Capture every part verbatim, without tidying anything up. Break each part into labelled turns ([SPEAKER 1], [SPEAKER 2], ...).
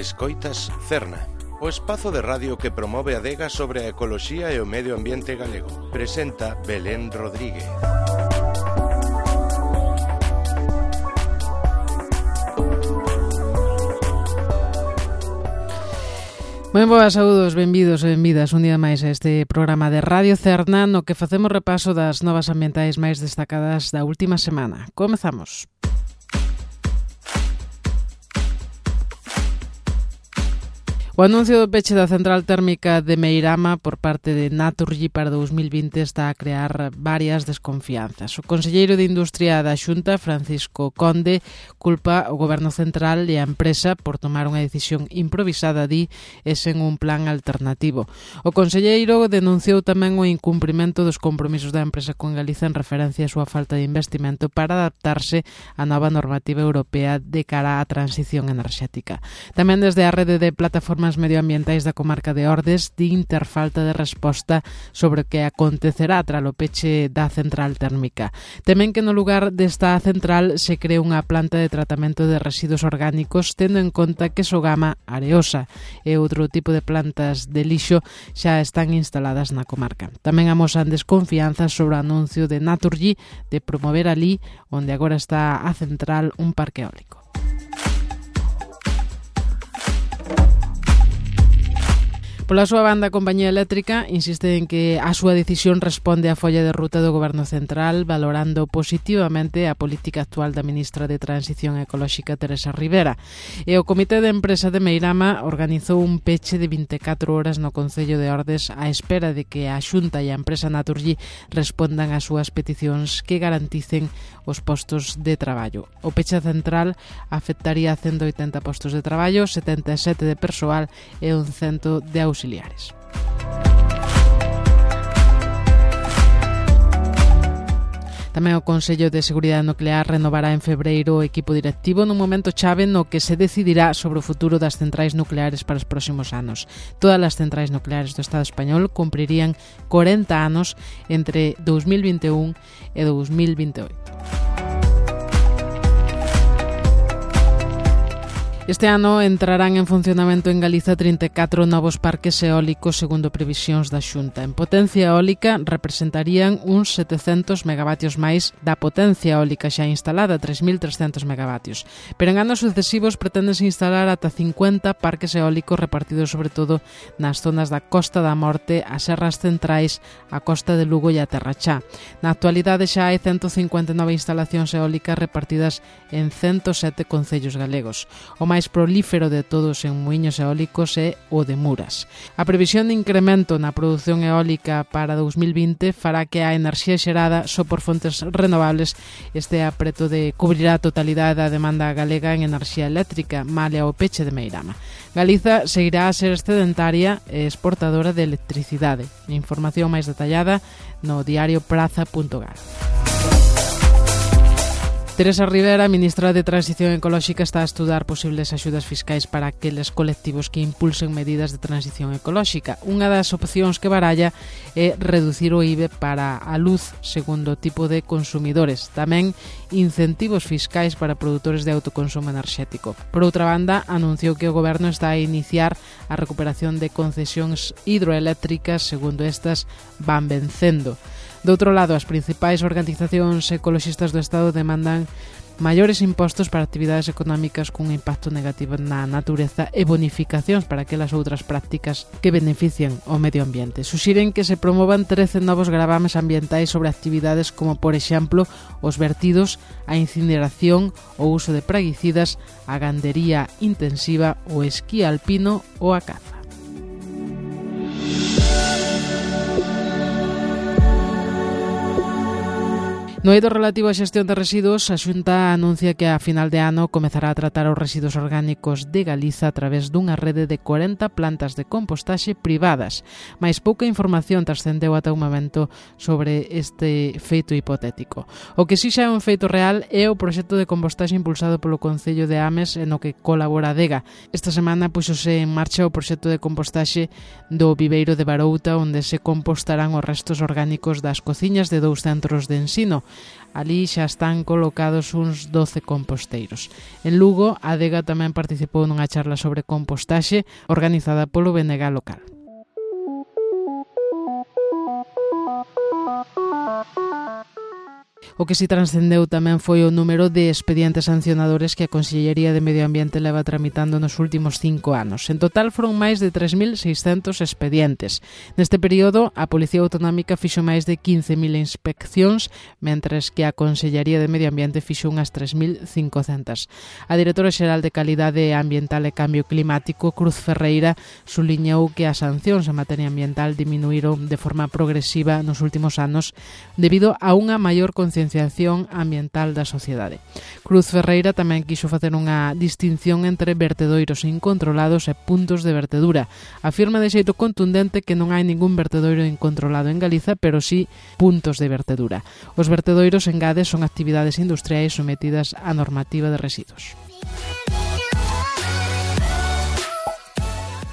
[SPEAKER 1] Escoitas Cerna, o espazo de radio que promove a adega sobre a ecoloxía e o medio ambiente galego. Presenta Belén Rodríguez.
[SPEAKER 2] Moi boas, saúdos, benvidos e benvidas un día máis a este programa de Radio Cerna no que facemos repaso das novas ambientais máis destacadas da última semana. Comezamos. O anuncio do peche da central térmica de Meirama por parte de Naturgy para dous mil vinte está a crear varias desconfianzas. O conselleiro de Industria da Xunta, Francisco Conde, culpa o Goberno Central e a empresa por tomar unha decisión improvisada, di, e sen un plan alternativo. O conselleiro denunciou tamén o incumprimento dos compromisos da empresa con Galiza en referencia á súa falta de investimento para adaptarse á nova normativa europea de cara á transición enerxética. Tamén desde a rede de plataformas medioambientais da comarca de Ordes din ter falta de resposta sobre o que acontecerá tras o peche da central térmica. Temen que no lugar desta central se cree unha planta de tratamento de residuos orgánicos tendo en conta que Sogama, Areosa e outro tipo de plantas de lixo xa están instaladas na comarca. Tamén amosan desconfianzas sobre o anuncio de Naturgy de promover alí, onde agora está a central, un parque eólico. Pola súa banda, a compañía eléctrica insiste en que a súa decisión responde á folla de ruta do Goberno Central, valorando positivamente a política actual da ministra de Transición Ecolóxica, Teresa Rivera. E o Comité de Empresa de Meirama organizou un peche de vinte e catro horas no Concello de Ordes á espera de que a Xunta e a empresa Naturgy respondan ás súas peticións que garanticen os postos de traballo. O peche central afectaría a ciento oitenta postos de traballo, setenta e sete de persoal e un cento de auxiliares. auxiliares. Tamén o Consello de Seguridade Nuclear renovará en febreiro o equipo directivo nun momento chave no que se decidirá sobre o futuro das centrais nucleares para os próximos anos. Todas as centrais nucleares do Estado español cumprirían corenta anos entre dous mil vinte e un e dous mil vinte e oito. Este ano entrarán en funcionamento en Galiza trinta e catro novos parques eólicos segundo previsións da Xunta. En potencia eólica representarían uns setecentos megavatios máis da potencia eólica xa instalada, tres mil trescentos megavatios. Pero en anos sucesivos preténdense instalar ata cincuenta parques eólicos repartidos sobre todo nas zonas da Costa da Morte, as serras centrais, a Costa de Lugo e a Terra Chá. Na actualidade xa hai ciento cincuenta e nove instalacións eólicas repartidas en ciento sete concellos galegos. O máis prolífero de todos en muiños eólicos é o de Muras. A previsión de incremento na produción eólica para dous mil vinte fará que a enerxía xerada só por fontes renovables estea preto de cubrir a totalidade da demanda galega en enerxía eléctrica, male ao peche de Meirama. Galiza seguirá a ser excedentaria e exportadora de electricidade. Información máis detallada no diario praza punto gal. Teresa Rivera, ministra de Transición Ecolóxica, está a estudar posibles axudas fiscais para aqueles colectivos que impulsen medidas de transición ecolóxica. Unha das opcións que baralla é reducir o I V E para a luz segundo o tipo de consumidores. Tamén incentivos fiscais para produtores de autoconsumo enerxético. Por outra banda, anunciou que o Goberno está a iniciar a recuperación de concesións hidroeléctricas segundo estas van vencendo. Do outro lado, as principais organizacións ecoloxistas do Estado demandan maiores impostos para actividades económicas cun impacto negativo na natureza e bonificacións para aquelas outras prácticas que benefician o medio ambiente. Suxiren que se promovan trece novos gravames ambientais sobre actividades como, por exemplo, os vertidos, a incineración, o uso de praguicidas, a gandería intensiva, o esquí alpino ou a caza. No eido relativo á xestión de residuos, a Xunta anuncia que a final de ano comezará a tratar os residuos orgánicos de Galiza a través dunha rede de corenta plantas de compostaxe privadas. Mais pouca información trascendeu ata un momento sobre este feito hipotético. O que si xa é un feito real é o proxecto de compostaxe impulsado polo Concello de Ames e no que colabora a Dega. Esta semana puxose en marcha o proxecto de compostaxe do Viveiro de Barouta, onde se compostarán os restos orgánicos das cociñas de dous centros de ensino. Ali xa están colocados uns doce composteiros. En Lugo, a Adega tamén participou nunha charla sobre compostaxe organizada polo B N G local. O que si transcendeu tamén foi o número de expedientes sancionadores que a Consellería de Medio Ambiente leva tramitando nos últimos cinco anos. En total foron máis de tres mil seiscentos expedientes. Neste período, a Policía Autonómica fixo máis de quince mil inspeccións, mentres que a Consellería de Medio Ambiente fixo unhas tres mil cincocentas. A Directora Xeral de Calidade Ambiental e Cambio Climático, Cruz Ferreira, suliñou que as sancións en materia ambiental diminuíron de forma progresiva nos últimos anos debido a unha maior concienciación ambiental da sociedade. Cruz Ferreira tamén quixo facer unha distinción entre vertedoiros incontrolados e puntos de vertedura. Afirma de xeito contundente que non hai ningún vertedoiro incontrolado en Galiza, pero sí puntos de vertedura. Os vertedoiros, engade, son actividades industriais sometidas á normativa de residuos.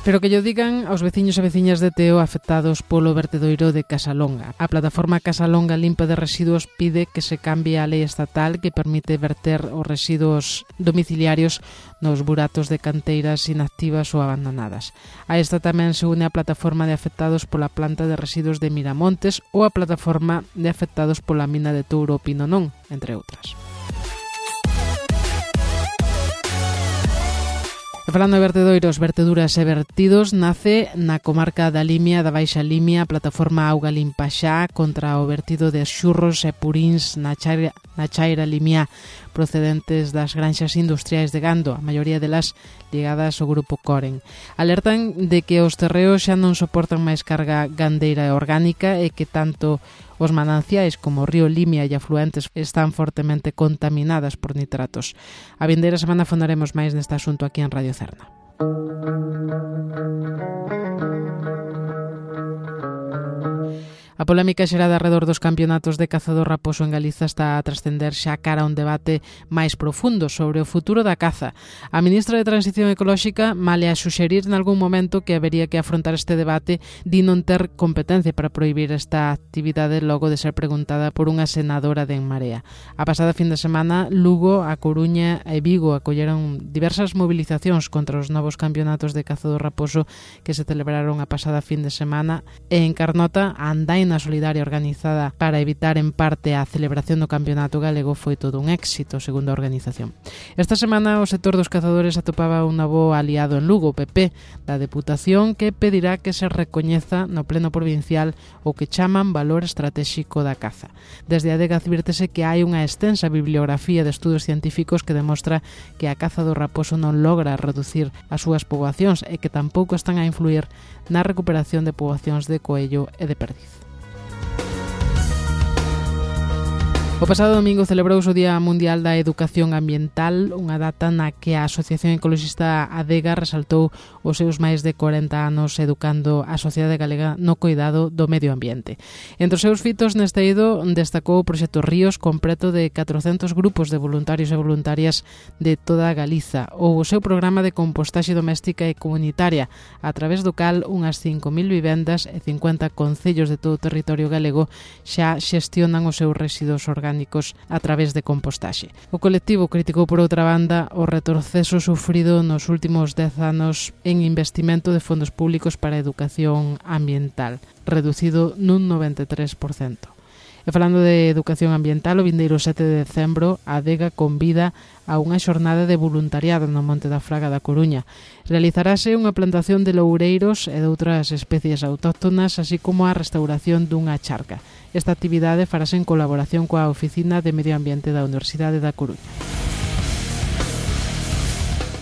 [SPEAKER 2] Pero que llo digan aos veciños e veciñas de Teo afectados polo vertedoiro de Casalonga. A plataforma Casalonga Limpa de Residuos pide que se cambie a lei estatal que permite verter os residuos domiciliarios nos buratos de canteiras inactivas ou abandonadas. A esta tamén se une a plataforma de afectados pola planta de residuos de Miramontes ou a plataforma de afectados pola mina de Touro Pinonón, entre outras. E falando de vertedoiros, verteduras e vertidos, nace na comarca da Limia, da Baixa Limia, a plataforma Auga Limpa Xa contra o vertido de xurros e puríns na chaira, na chaira limia procedentes das granxas industriais de gando, a maioría delas ligadas ao grupo Coren. Alertan de que os terreos xa non soportan máis carga gandeira e orgánica e que tanto os mananciais como o río Limia e afluentes están fortemente contaminadas por nitratos. A vindeira semana fondaremos máis neste asunto aquí en Radio Cerna. A polémica xerada arredor dos campeonatos de caza do raposo en Galiza está a trascender xa cara a un debate máis profundo sobre o futuro da caza. A ministra de Transición Ecolóxica, malia a suxerir nalgún momento que habería que afrontar este debate, di non ter competencia para prohibir esta actividade logo de ser preguntada por unha senadora de En Marea. A pasada fin de semana, Lugo, A Coruña e Vigo acolleron diversas movilizacións contra os novos campeonatos de caza do raposo que se celebraron a pasada fin de semana e en Carnota, a Andaina solidaria organizada para evitar en parte a celebración do campeonato galego foi todo un éxito, segundo a organización. Esta semana o sector dos cazadores atopaba un novo aliado en Lugo, o P P, da Deputación, que pedirá que se recoñeza no pleno provincial o que chaman valor estratégico da caza. Desde a Adega advírtese que hai unha extensa bibliografía de estudos científicos que demostra que a caza do raposo non logra reducir as súas poboacións e que tampouco están a influir na recuperación de poboacións de coello e de perdiz. O pasado domingo celebrouse o Día Mundial da Educación Ambiental, unha data na que a Asociación Ecologista Adega resaltou os seus máis de corenta anos educando a sociedade galega no cuidado do medio ambiente. Entre os seus fitos neste eido destacou o proxecto Ríos, completo de catrocentos grupos de voluntarios e voluntarias de toda Galiza, ou o seu programa de compostaxe doméstica e comunitaria, a través do cal unhas cinco mil vivendas e cincuenta concellos de todo o territorio galego xa xestionan os seus residuos orgánicos a través de compostaxe. O colectivo criticou por outra banda o retroceso sufrido nos últimos dez anos en investimento de fondos públicos para a educación ambiental, reducido nun noventa e tres por cento. E falando de educación ambiental, o vindeiro sete de decembro, a Adega convida a unha xornada de voluntariado no Monte da Fraga da Coruña. Realizarase unha plantación de loureiros e de outras especies autóctonas, así como a restauración dunha charca. Esta actividade farase en colaboración coa Oficina de Medio Ambiente da Universidade da Coruña.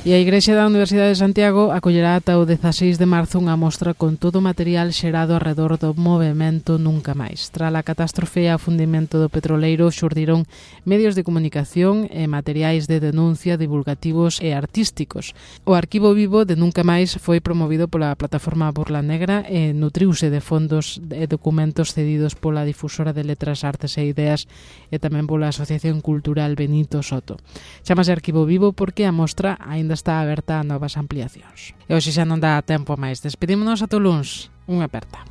[SPEAKER 2] E a Igrexa da Universidade de Santiago acollerá ata o dezaseis de marzo unha mostra con todo o material xerado arredor do movemento Nunca Máis. Tras a catástrofe e a fundimento do petroleiro xurdiron medios de comunicación e materiais de denuncia divulgativos e artísticos. O arquivo vivo de Nunca Máis foi promovido pola plataforma Burla Negra e nutriuse de fondos e documentos cedidos pola difusora de letras, artes e ideas e tamén pola Asociación Cultural Benito Soto. Chámase arquivo vivo porque a mostra aínda está aberta a novas ampliacións. E hoxe xa non dá tempo máis. Despedímonos ata o luns. Unha aperta.